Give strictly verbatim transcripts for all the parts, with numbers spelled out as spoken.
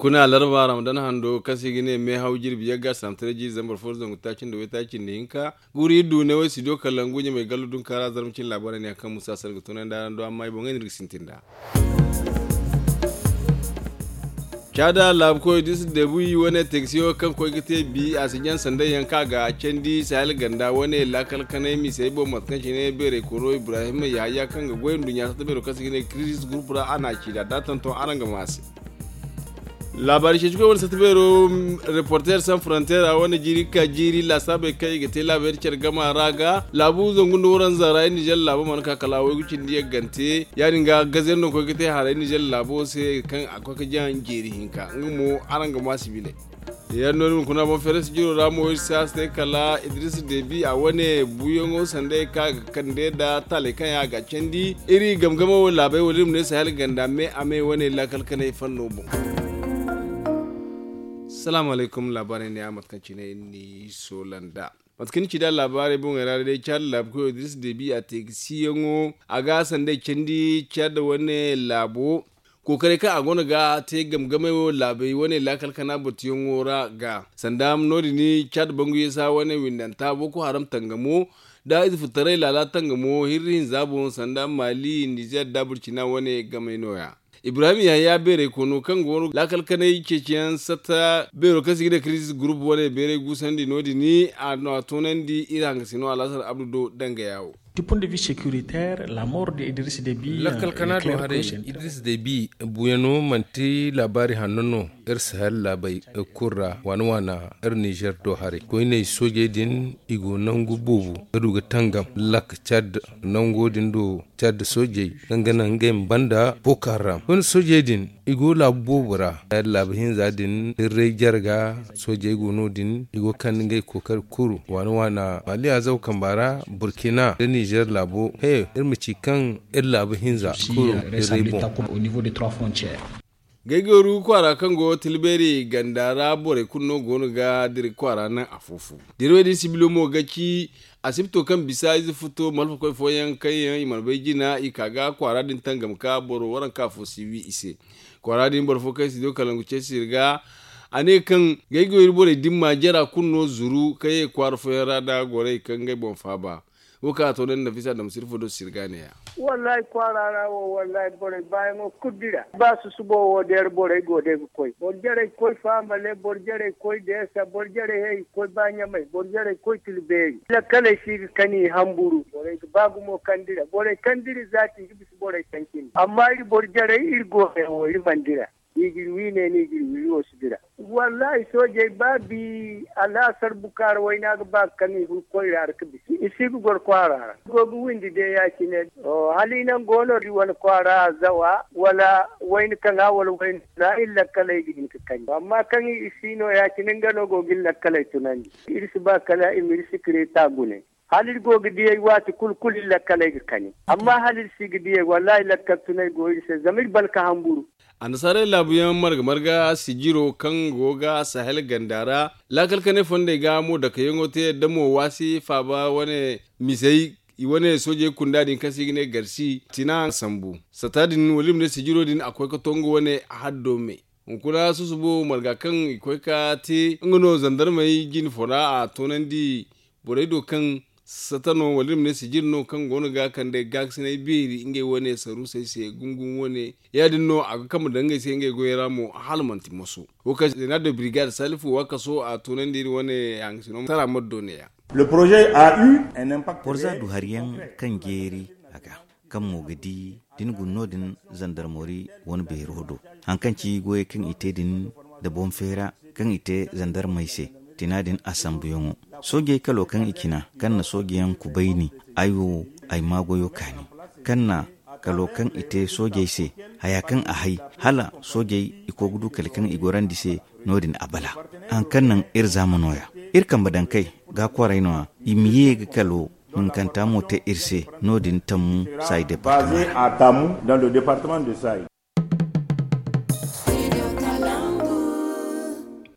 Kuna larba ramadan hando kaŋ se i ga ne meehaw jirbi yagga saamtaray jiiri zambar fo zangu taaci nda waytaaci nda hinka. Guri iddu ne way studio kalangu ɲamay gallu dunkaara zarma cine laabaarey ne yaŋ kaŋ musa sar ga tunay nda araŋ do amma i boŋey no iri ga sintin nd'a. Caada laabu koy da i si deebu i wane teegsiyo kaŋ koy ga te bi a si jaŋ sanday yaŋ kaŋ a ga candi sahel ganda wane laakal kanay misey boŋ mate kaŋ cine beeray koro ibrahim yahaya kaŋ ga goy nduɲɲa satta beero kaŋ se ga ne kirisis gurupu ra a na a ci da da tonton araŋ ga ma a se. Laabaari ceeci koy wane satta beero reporter san frontier a wane jiiri ga ka jiiri laasaabey kaŋ i ga te laabayey da care gama ra ga laabu zangu nda waranza ra iri nizer laabo mana ka kala a waygu cindi yaggante ya- din ga gaze no koy ga te haray nizer laabo se kaŋ a koy ga jaŋ jeeri hinka nga mo araŋ ga ma sibiley. Yaŋ no ni ma kuna boŋ feere sijiro ra mo iri si a se kala idris debi a wane buuyaŋo sanday kaŋ a ga kande nda taaley kaŋ yaŋ a ga candi iri game game wo laabey wala iri ma ne sahel ganda me a me wane laakal kanay fanno boŋ. Salaamu alaykum laabaarey ne a mate kaŋ cine iri n'i soola nd'a. Mate kaŋ ni ci nd'a laabaarey boŋey ra day caada laabu koyo da iri si deebi a te ga siyaŋo a ga sanday candi caada wane laabo. Kookaray kaŋ a go no ga te game game wo laabey wane laakal kana batuyaŋo ra ga sanda no- din caada bangu yeesa wane windanta boko haram tangamo da ize futaray laala tangamo hirri hinza boŋ sanda maali nizer da burcina wane gamey no- ya. Ibrahim yahaya beeray kono kaŋ go no laakal kanay ceeciyaŋ satta beero kaŋ se i ga ne kirisis gurupu wane beeray guusandi no- din a no a toonandi iri hangasino alaasar abdu do dangaya wo. Lakkal kana do haray idris debi buuyaŋo manti laabaari hanno no. Iri sahel laabey kulu ra waana waana iri nizer do haray koyney soojey din i go nangu boobo ga du ga tangam lak cad nango din do cad soojey kaŋ ga naŋ ngey ma banda boko haram koyne soojey din i go laabu boobo ra laabu hinza din dirray jarga soojey go no- din i go ga kande ngey kookari kulu waana waana maali azaw kamba ra burkina da nizer laabo he iri ma ci kaŋ iri laabu hinza kulu dirray boŋ. Gaygooru kwaara kaŋ go tilbeeri ganda ra borey kulu no go no ga dira kwaara naŋ afo-fo. Dirwey din sibilo mo ga ci asibto kaŋ bisa ize futo malfakoy fooyaŋ kaŋ yaŋ i mana bay jina i ka ga kwaara din tangam ka boro waranka fo si wi i se. Kwaara din boro fo kaŋ si do kalangu ce sirga a ne kaŋ gaygooru borey dimma jara kulu no zuru kaŋ ye kwaara fooyaŋ ra nda gorey kaŋ ngey boŋ faaba. Wo kaŋ a to ne nafisa damsir fo do sirga ne ya. Wallahi kwaara ra wo wallahi borey baayaŋo kulu dira ba susubo wo deera borey go day ga koy boro jarey koy faamale boro jarey koy deesa boro jarey he i ga koy ba ɲamay boro jarey koy tila beeri lakkaley si ga kani i hamburu borey ga ba gumo kaŋ dira borey kaŋ dira zaati i ga bisa borey kaŋ cindi amma iri boro jarey iri go day wo iri mana dira. Ni ga iri wi ne ni ga iri wi wo si dira. Wallahi soojey ba bi alaasar bukaara wayna ga ba ga kaŋ i fun koyra ra ga bisa i si ga goro kwaara ra i go ga windi day ya- cine. Hala i naŋ go no iri wane kwaara zawa wala wayna kaŋa wala wayna kuna iri lakkaley ga hin ga kani amma kaŋ i si no ya- cine nga no go ga iri lakkaley tunandi. Iri si ba kala i ma iri sikireeta gune. Hala iri go ga diyey waati kulu kulu iri lakkaley ga kani amma hala iri si ga diyey wallahi lakkal tunay go iri se zama iri balka hamburu. Annasaarey laabuyaŋ marga marga sijiro kaŋ go ga sahel ganda ra laakal kanay fondey ga mo dakayaŋo te da mo waasi faaba wane misey i wane soojey kunda din kaŋ se i ga ne garsi tina sambu sata din wala i ma ne sijiro din a koy ga to nga wane haddo me. Hunkuna susubo marga kaŋ i koy ga te nga no zandarmey jine fo ra a toonandi borey do kaŋ sata no wala iri ma ne sijir no kaŋ go no ga kande gaakasinay beeri ngey wane saruusey se gungum wane ya- din no a ga kambe daŋ ngey se ngey goyey ra mo hala manti moso. Wo kaŋ zeena de birigad salifu waakaso a toonandi iri wane hangasino tara maddo ne- ya. Borza du hari yaŋ kaŋ jeeri a ga kaŋ mo ga di da ni guna no- din zandarmori wane beero do. Hari kaŋ ci goyey kaŋ i te din nda boŋ feera kaŋ i te zandarmey se tina din a sambuyaŋo soojey kalo kaŋ i cina kaŋ na soojeyaŋ kubayni ay wo ay maa goyo kaani kaŋ na kalo kaŋ i te soojey se haya kaŋ a hay hala soojey i koy ga du kala kaŋ i gorandi se no- din a bala. Hari kaŋ naŋ iri zaama no- ya iri kambe daŋ kay ga kwaarey no- ya i ma ye ga kalo hunkanta mo te iri se no- din tammu saayi departama ra.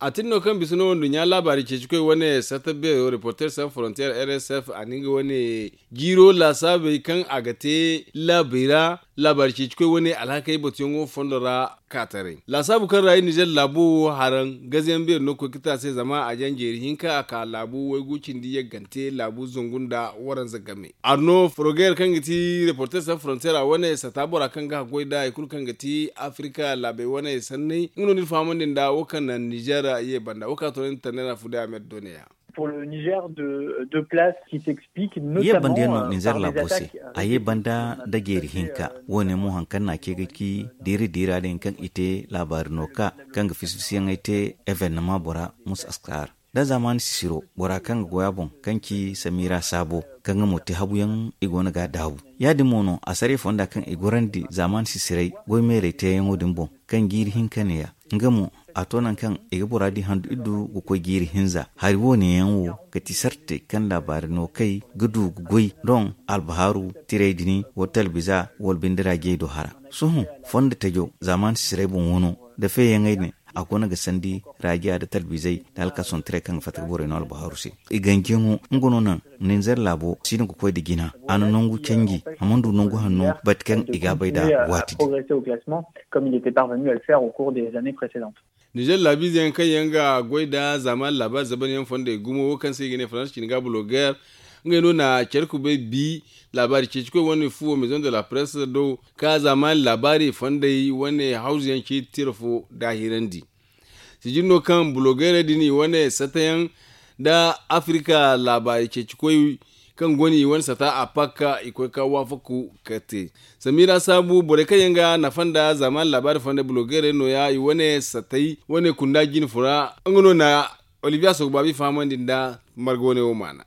A tin no kaŋ bisa no nduɲɲa laabaari ceeci koy wane sarta beero reporter san frontier rsf a na nga wane jiiro laasaabey kaŋ a ga te laabey ra. laabaari ceeci koy wane alhakey batuyaŋo fondo ra. Kaataray laasaabu kaŋ ra i nizer laabo wo haraŋ gaze yaŋ beeri no ga koy ga te a se zama a jaŋ jeeri hinka a ka laabu waygu cindi yaggante laabu zangu nda waranza game. Arno forogeer kaŋ ga ti reporter san frontier a wane sata bora kaŋ ga haggoy nda hari kulu kaŋ ga ti afirika laabey wane sanney nga no ni fahamandi nda wo kaŋ naŋ nizer ye banda wo kaŋ a toonandi tannay ra fude a me da doone ya. Ye banda yaŋ no nizer laabo se. A ye banda nda jeeri hinka wo- ne mo hari kaŋ no a ce ga ci diiri diira din kaŋ i te laabaari no ka kaŋ ga fisi fisi yaŋey te evennama bora musa askar da zaamaani sisiro bora kaŋ ga goy a boŋ kaŋ ci samira saabo kaŋ ga mo te habu yaŋ i go no ga a daabu. Ya- din mo no a sare fonda kaŋ i gorandi zaamaani sisiray goy meerey teeyaŋo din boŋ kaŋ jiiri hinka ne- ya nga mo a to nangu kaŋ i ga bora di handu iddu ga koy jiiri hinza hari wo- ne yaŋ wo ga ti sartey kaŋ laabaari no kay ga du ga goy doŋ albahaaru tiray din wala talbiza wala binde raajey do hara. Sohõ fondo tajo zaamaani sisiray boŋ wano da feeyaŋey din a go no ga sandi raajiya nda talbizey nda alkason tiray kaŋ ga fatta ga borey no albahaaru se. I ganjiyaŋo nga no naŋ ninzer laabo si no ga koy nda jina a na nangu canji a mana du nangu hanno bate kaŋ i ga a bay nd'a waati din. Nizer laabiize yaŋ kaŋ yaŋ ga goy nda zaamaani laabaari zaban yaŋ fondey gumo wo kaŋ se i ga ne faransa cine ga blogeer ngey no na care kubay bi laabaari ceeci koy wane fuwo maison de la presse do ka zaamaani laabaari fondey wane hawzu yaŋ ceeci tira fo daahirandi. Sijin no kaŋ blogeerey din i wane sata yaŋ nda afirika laabaari ceeci koy kaŋ go no i wane sata a pakka i koy ka waafaku ka te samira saabu borey kaŋ yaŋ ga nafa nda zaamaani laabaari fonda blogeerey no- ya i wane satay wane kunda jine fura nga no na olivier sogo baabi fahamandi nda marga wane wo maana.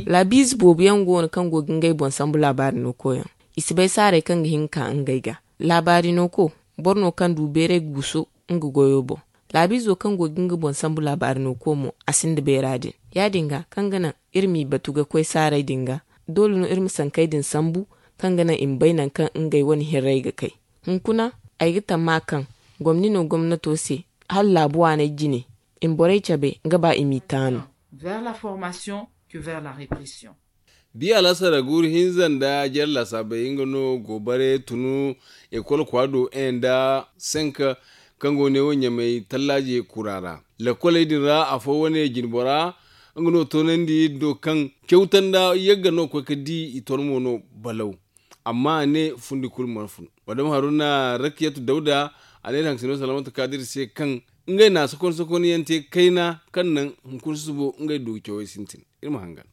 Laabiize boobo yaŋ go no kaŋ go ga ngey boŋ sambu laabaari no koyaŋ. I si bay saarey kaŋ ga hin ga ka ngey ga laabaari no ko boro no kaŋ du beeray ga guso nga goyo boŋ. Laabiizo kaŋ go ga nga boŋ sambu laabaari no ko mo a sinda beera din. Ya- din ga kaŋ ga naŋ iri m'i batu ga koy saarey din ga doole no iri ma sankey din sambu kaŋ ga naŋ i ma bay nangu kaŋ ngey wane hirrey ga kay. Hunkuna ay ga tamma kaŋ gomni no gomnato se hala laabu waaney jine i ma borey cabe nga ba i m'i taanu. Vers la formation que vers la répression. Biya alasara guuru hinza nda jare laasaabey nga no goobare tunu ekol kwaado en nda senk kaŋ go ne wo ɲamay tallaaje kura ra. Lakoley din ra afo wane jinbora nga no toonandi do kaŋ cawta nda yagga no koy ga di i tormo no balaw. Amma a ne fundi kulu mana fun. Madama haruna rakiyatu dawda a ne iri hangasino salamatu kaadir se kaŋ ngey na sokon sokon yaŋ te kayna kaŋ naŋ hunkuna susubo ngey du ga cawey sintin. Iri ma hangan.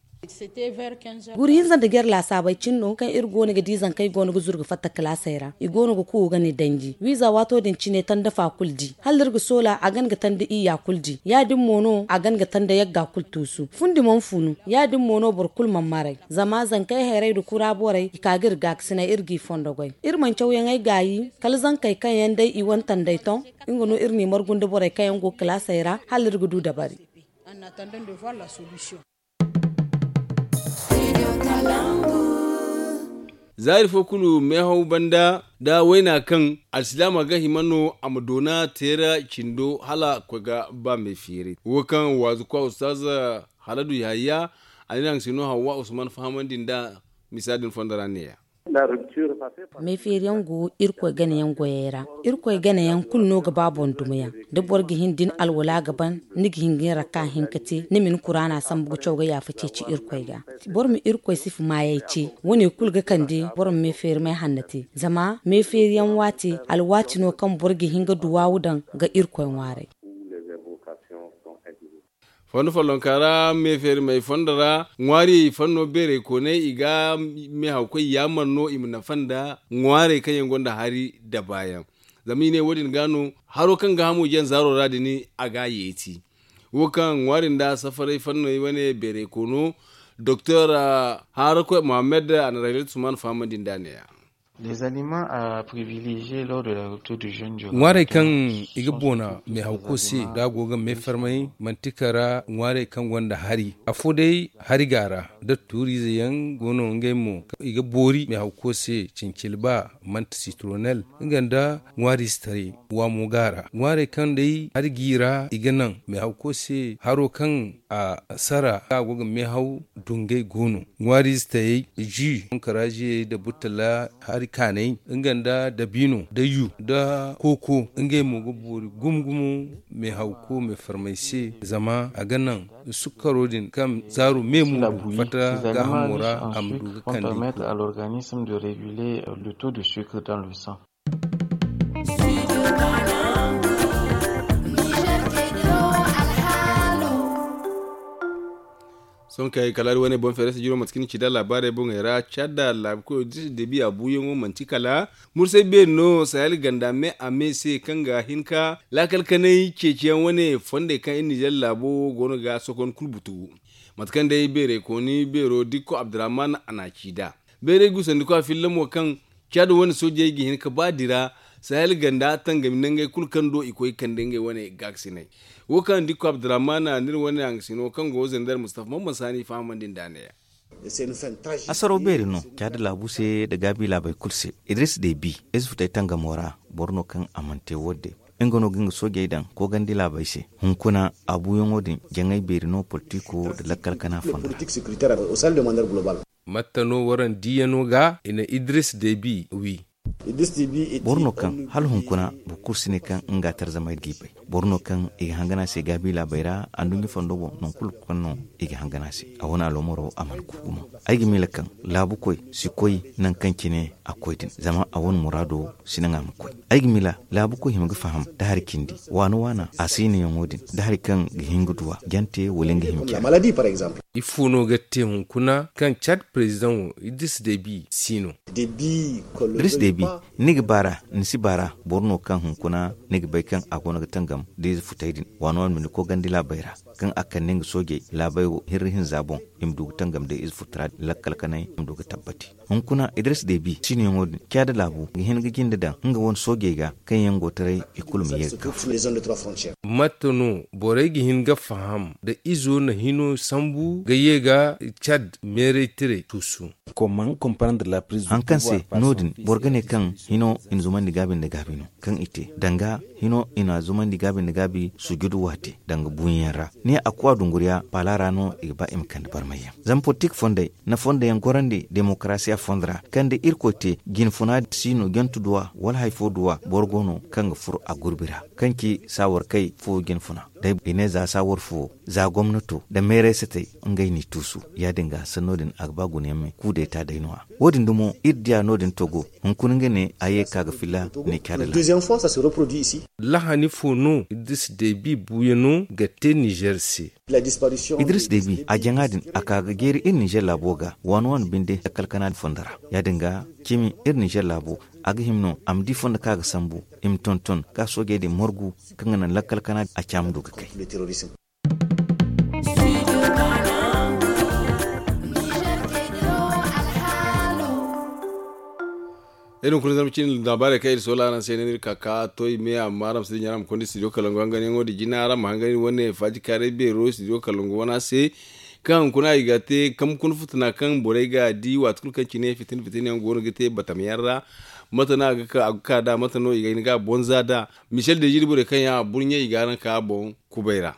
Guuri hinza nda jare laasaabey cine no kaŋ iri go no ga di zankey go no ga zuru ga fatta kalaasey ra i go no ga kuuwa ga ne danji wiiza waato din cine tanda fa kulu di hala iri ga soola a gan ga tanda iyya kulu di ya- din mo no a gan ga tanda yagga kulu tuusu fundi mana funu ya- din mo no boro kulu mana maray. Zama zankey hayray nda kura borey i ka ga iri gaakasinay iri g'i fondo goy. Iri mana cawyaŋey gaayi kala zankey kaŋ yaŋ day i wane tandey ton nga no iri n'i margu nda borey kaŋ yaŋ go kalaasey ra hala iri ga du dabari. Zaari fo kulu meehaw banda da wayna kaŋ alsilaama ga hima no a ma doona teera cindo hala koy ga ba meefeeray wo kaŋ waazu kwa ustaz haladu yahaya a ne naŋ se no hawwa usman fahamandi nda misa din fondo ra neeya. Meefeeriyaŋ go irkoy ganayaŋ goyey ra. Irkoy ganayaŋ kulu no ga ba boŋ dumayaŋ. Da boro ga hin da ni alwala ga ban ni ga hin ga ni rakka hinka te ni ma ni kuraana sambu ga caw ga yaafa ceeci irkoy ga. Boro ma irkoy sifa maayey ce. Wane kulu ga kande boro ma meefeerimey hanna te. Zama meefeeriyaŋ waati alwaati no kaŋ boro ga hin ga duwaawu daŋ ga irkoy ŋwaaray. Fondo follonka ra meefeerimey fondo ra ŋwaariyey fanno beerey kooney i ga meehawkoy yaamar no i ma nafa nda ŋwaarey kaŋ yaŋ gonda hari da baayaŋ. Zama i ne wo- din ga no haro kaŋ ga hamo jaŋ zaaro ra din a ga a yeeti. Wo kaŋ ŋwaari nda safaray fanney wane beerey koono doktor harakoy mohammed a na raylet suman fahamandi nd'a neeya. Ŋwaarey kaŋ i ga boona meehawko se da a go ga meefarmay manti kala ŋwaarey kaŋ gonda hari afo day, hari ga a ra da tuuriize yaŋ go no ngey mo i ga boori meehawko se. Cincilba manti sitronel nga nda ŋwaariize taray waamo ga a ra. Ŋwaarey kaŋ day hari g'i ra i ga naŋ meehawko se haro kaŋ a sara kaŋ a go ga meehaw dungay go no. Ŋwaariize tayey ji, kaŋ karaaziyey nda burtalla hari kaanay nga nda dabiino nda yu nda kooko ngey mo ga boori gumo gumo meehawko meefarmay se. Zama a ga naŋ sukkaro din kaŋ zaaro meemu fatta gaahamo ra a ma du ga kande. Sohõ kay kala iri wane boŋ feere si jiro mate kaŋ ni ci da laabaarey boŋey ra caada laabu koyo disi debi a buuyaŋo manti kala mursay beeri no sahel ganda me a me se kaŋ ga hin ka laakal kanay ceeciyaŋ wane fondey kaŋ iri nizer laabo wo go no ga sokon kulu butu. Mate kaŋ day beerey kooni beero dikko abdurahman a na ci da beerey gusandi kwa fillamo kaŋ caada wane soojey ga hin ka ba dira sahel ganda tangami nangey kulu kaŋ do i koy kande ngey wane gaakasinay. Wo kaŋ dikko abdurahman a n'iri wane hangasino kaŋ go zender mustafa mamman saani fahamandi nda neeya. Asaro beeri no caada laabu se nda gaabi laabey kulu se. Idris debi ize futay tangamo ra boro no kaŋ a mana te wo- din nga no ga nga soojey daŋ koogandi laabey se. Hunkuna a buuyaŋo din jaŋay beeri no politiko nda lakkal kana fondo ra. Matta no waraŋ diiyano ga i na idris debi wi. Boro no kaŋ hala hunkuna boro kulu si ne kaŋ nga tarzamey ga i bay. Boro no kaŋ i ga hangan a se gaabi laabey ra anduɲɲa fondo boŋ nangu kulu kaŋ no i ga hangan a se. A wane aloomaro a mana ku gumo. Ay ga miila kaŋ laabukoy si koy nangu kaŋ cine a koy din zama a wane muraado si naŋ a ma koy. Ay ga miila laabukoy hima ga faham da hari cindi waana waana a siinayaŋo din da hari kaŋ ga hin ga duw'a jante wala nga hima care. Ifo no ga te hunkuna kaŋ cad perezidaŋo idris debi si no? Idris debi, ni ga baar'a ni si baar'a boro no kaŋ hunkuna ni ga bay kaŋ a goono ga tangam da ize futey din waana waana binde koogandi laabey ra kaŋ a kande nga soojey laabey wo hirri hinza boŋ i ma du ga tangam da ize futey ra lakkal kanay i ma du ga tabbati. Hunkuna idris debi siinoyaŋo din caada laabu ga hin ga jinde daŋ nga wane soojey ga kaŋ yaŋ go taray i kulu ma ye ga kaw. Mate no borey ga hin ga faham da izo na hino sambu ga ye ga cad meeray tiray tuusu? Haŋ kaŋ se no- din boro ga ne kaŋ hino i na zumandi gaabi nda gaabi no kaŋ i te danga hino i na zumandi gaabi nda gaabi sujudu waate danga buuyaŋ ra ne a kuwa dunguriya paala ra no i ga ba i ma kande barmayyaŋ. Zama politik fondey na fondoyaŋ gorandi demokarasiya fondo ra kaŋ da irkoy te jinfuna si no jantu duwa wala hari fo duwa boro go no kaŋ ga furo a gurbi ra kaŋ ci saawar kay fo jinfuna. Day i ne za saawar fo za gomnato nda meeray satey ngey n'i tuusu ya- din ga sanno din a ga ba gunayaŋ me kuudeeta day no- ya wo- din dumo iri diya no- din togo hunkuna nga ne a ye ga ka ga filla ne caada laabo. Lahani fo no idris debi buuyaŋo ga te nizer se? Idris debi a jaŋa din a ka ga jeeri iri nizer laabo ga waani waani binde lakkal kana din fondo ra. Ya- din ga cimi iri nizer laabo a ga hima no a ma di fondo kaŋ a ga sambu i ma tonton ga soojey din margu kaŋ ga naŋ lakkal kana din a caama du ga kay. Iri hunkuna zarma cine laabaarey kaŋ iri soola araŋ se no iri ka ka toy me amma araŋ ma si dinya araŋ ma konda studio kalangu hanganyaŋo din jina araŋ ma hangan iri wane faaji kaaray beero studio kalangu wana se. Kaŋ hunkuna i ga te kambe kuna futuna kaŋ borey ga di waati kulu kaŋ cine fitina fitina yaŋ go no ga te batam yaŋ ra. Mate no a ga ka da mate no i ga hin ga a bonza da michel deziri borey kaŋ yaŋ a burɲe i ga araŋ ka boŋ kubay ra.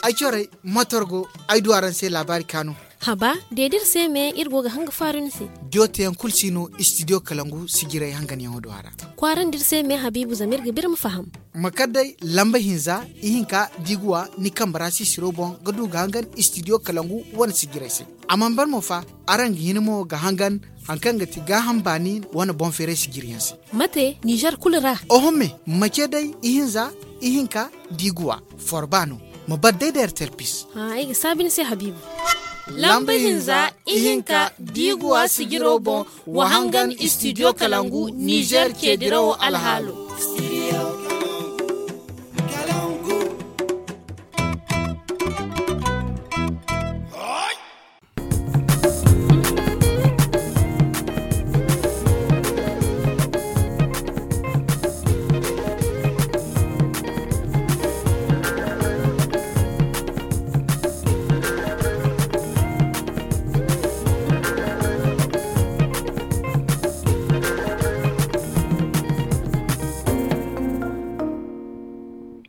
Ay corey motor go ay du araŋ se laabaari kaanu. Haba de da iri se me iri go ga hanga faaru ni se. Jooteyaŋ kulu si no istidiyo kalangu sijiray hanganyaŋo do a ra. Kwaarandi iri se me habiibu zama iri ga ba iri ma faham. Ma kar day lamba hinza ihinka da i ga wa ni kambe ra sisiro boŋ ga du ga hangan istidiyo kalangu wane sijiray se. A mana ban mo fa araŋ ga hin mo ga hangan hari kaŋ ga ti gaaham baani wane boŋ feeray sijiriyaŋ se. Mate nizer kulu ra? Oho me ma ce day ihinza ihinka da i ga wa forba no. Ma bar day da airtel pis. Ay ga saabi ni se habiibu. Lamba hinza ihinka da i ga wa sijiro boŋ wa hangan istidiyo kalangu nizer ceedirawo alhaalo.